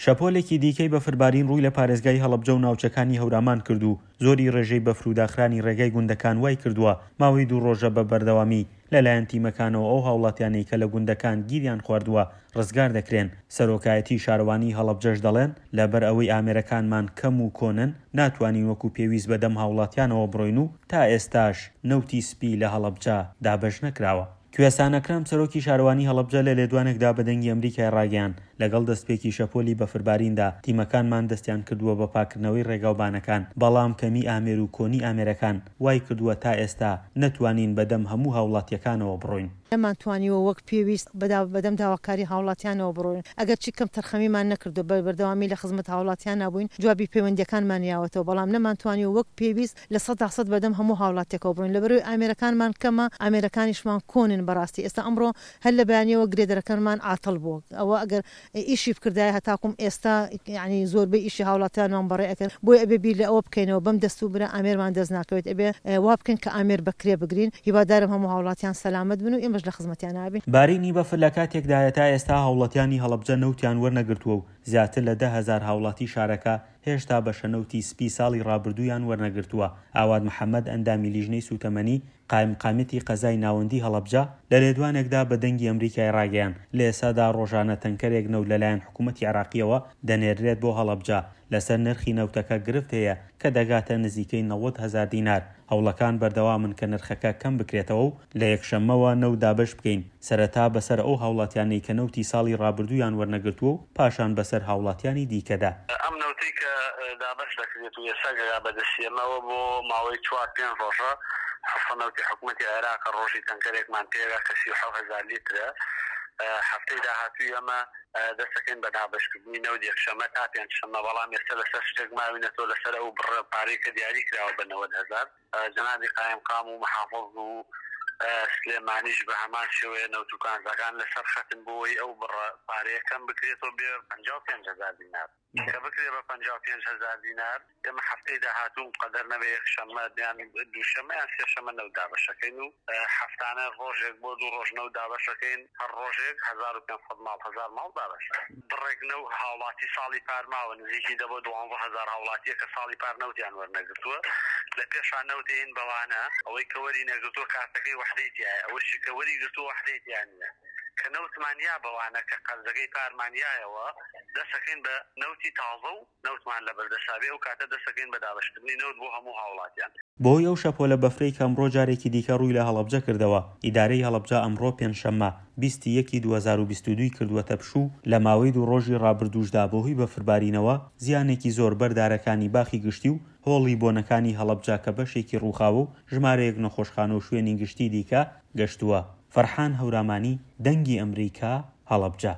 شەپۆلێکی دیکەی بەفربارین ڕووی لە پارێزگای هەڵەبجە و ناوچەکانی هەورامان کرد و زۆری ڕێژەی بەفر و داخرانی ڕێگای گوندەکان وای کردووە ماوەی دوو ڕۆژە بە بەردەوامی لەلایەن تیمەکانەوە ئەو هاوڵاتیانەی کە لە گوندەکان گیریان خواردووە ڕزگار دەکرێن. سەرۆکایەتیی شارەوانیی هەڵەبجەش دەڵێن، لەبەر ئەوەی ئامێرەکانمان کەم و کۆنن ناتوانین وەکو پێویست بەدەم هاوڵاتیانەوە بڕۆین و تا ئێستاش نەوتی سپی لە هەڵەبجە دابەش نەکراوە. کوێستان ئەکرەم، سەرۆکی شارەوانی هەڵەبجە لە لێدوانێکدا بە دەنگی ئەمریکای ڕاگەیاند، لەگەڵ دەستپێکی شەپۆلی بەفرباریندا، تیمەکانمان دەستیان کردووە بە پاکردنەوەی ڕێگاوبانەکان، بەڵام کەمی ئامێر و کۆنی ئامێرەکان وایکردووە تا ئێستا نەتوانین بەدەم هەموو هاوڵاتییەکانەوە بڕۆین. نەمانتوانیوە وەک پێویست بەدەم داواکاری هاوڵاتیانەوە بڕۆین، ئەگەرچی کەمتەرخەمیمان نەکردووە، بە بەردەوامی لە خزمەت هاوڵاتیانا بووین، جوابی پەیوەندییەکانمان یاوەتەوە، بەڵام نەمانتوانیوە وەک پێویست 100% بەدەم هەموو هاوڵاتیەکەوە بڕۆین لەبەرئەوەی ئامێرەکانمان کەمە ئامێرەکانیشمان کۆنن بەڕاستی ئێستا ئەمڕۆ هەر لە بەیانیەوە گرێدەرەکەنمان عاتڵ بووە ئەوە ئەگەر ئیشی بکردایە هەتاکوم ئێستا یانی زۆربەی ئیشی هاوڵاتیانمان بەڕێ ئەکرد بۆیە ئەبێ بیر لە ئەوە بکەینەوە بەم دەست و برا ئامێرمان دەست ناکەوێت ئەبێ وا بکەین کە ئامێر بە کرێ بگرین هیوادارم هەموو هاوڵاتیان سەلامەت بن و ئێمەش لە خزمەتیان ئەبین. بارینی بەفر لە کاتێکدایە تا ئێستا هاوڵاتیانی هەڵەبجە نەوتیان وەرنەگرتووە و زیاتر لە 10,000 هاوڵاتی شارەکە هێشتا بەشە نەوتی سپی ساڵی ڕابردوویان وەرنەگرتووە. ئاوات محەمەد، ئەندامی لیژنەی سووتەمەنی قایمقامیەتی قەزای ناوەندی هەڵەبجە، لە لێدوانێکدا بە دەنگی ئەمریکای ڕاگەیاند، لە ئێستادا ڕۆژانە تەنکەرێک نەوت لەلایەن حکومەتی عێراقییەوە دەنێررێت بۆ هەڵەبجە، لەسەر نرخی نەوتەکە گرفت هەیە کە دەگاتە نزیکەی 90,000 دینار، هەوڵەکان بەردەوامن کە نرخەکە کەم بکرێتەوە و لە یەکشەممەوە نەوت دابەش بکەین، سەرەتا بەسەر ئەو هاوڵاتیانەی کە نەوتی ساڵی ڕابردوویان وەرنەگرتووە و پاشان بەسەر هاوڵاتیانی دیکەدا. ئەم نەوتەی کە دابەش دەکرێت و ئێستا گەگا بە دەستی ئێمەوە بۆ ماوەی چوار پێنج ڕۆژە حەسە نەوتی حکومەتی عێراقە ڕۆژی تەنکەرێکمان پێگا کە 37,000 لیترە هەفتەی داهاتووی ئێمە دەستەکەین بە دابەشکردنی نەوت یەکشەممە تا پێنجشەممە، بەڵام ئێستا لەسەر شتێک ماوینەتەوە لەسەر ئەو بڕە پارەی کە دیاری کراوە بە 90,000. جەنابی قایمقام و محافز و سلێمانیش بە هەمان شێوەیە نەوت و کانزاکان لەسەر خەتن بۆ ئەوەی ئەو بڕە پارەیە کەم بکرێتەوە بێ 55,000 دینار. کە بکرێ بە 55,000 دینار ئێمە هەفتەی داهاتوو قەدەر نەبێ یەکشەممە یان دووشەممە یان سێشەممە نەوت دابەشەکەین و هەفتانە ڕۆژێک بۆ دوو ڕۆژ نەوت دابەشەکەین هەر ڕۆژێک 1500 ماڵ 1000 ماڵ دابەش بڕێک نەو هاوڵاتی ساڵی پار ماوە نزیکی دە بۆ 12,000 هاوڵاتیە کە ساڵی پار نەوتیان وەرنەگرتووە لە پێشا نەوتێین بەوانە ئەوەی کە وەری نەگرتووە کارتەکەی وەحدەی تیایە ئەوەشی کە وەری گرتووە وەحدەی تیا نییە کە نەوتمان یا بەوانە کە قەرزەکەی پارمان یایەوە دەسەکەین بە نەوتی تازە و نەوتمان لەبەردەسا بێ ئەو کاتە دەسەکەین بە دابەشکردنی نەوت بۆ هەموو هاوڵاتیان. بەهۆی ئەو شەپۆلە بەفرەی کە ئەمڕۆ جارێکی دیکە ڕووی لە هەڵەبجە کردەوە، ئیدارەی هەڵەبجە ئەمڕۆ پێنجشەممە 20 ی یەکی 2022 ی کردووەتە پشوو، لە ماوەی دوو ڕۆژی ڕابردووشدا بەهۆی بەفربارینەوە زیانێکی زۆر بەر دارەکانی باخی گشتی و هۆڵی بۆنەکانی هەڵەبجە کە بەشێکی ڕووخاوە و ژمارەیەک نەخۆشخانە و شوێنی گشتی دیکە گەشتووە. فەرحان هەورامانی، دەنگی ئەمریکا، هەڵەبجە.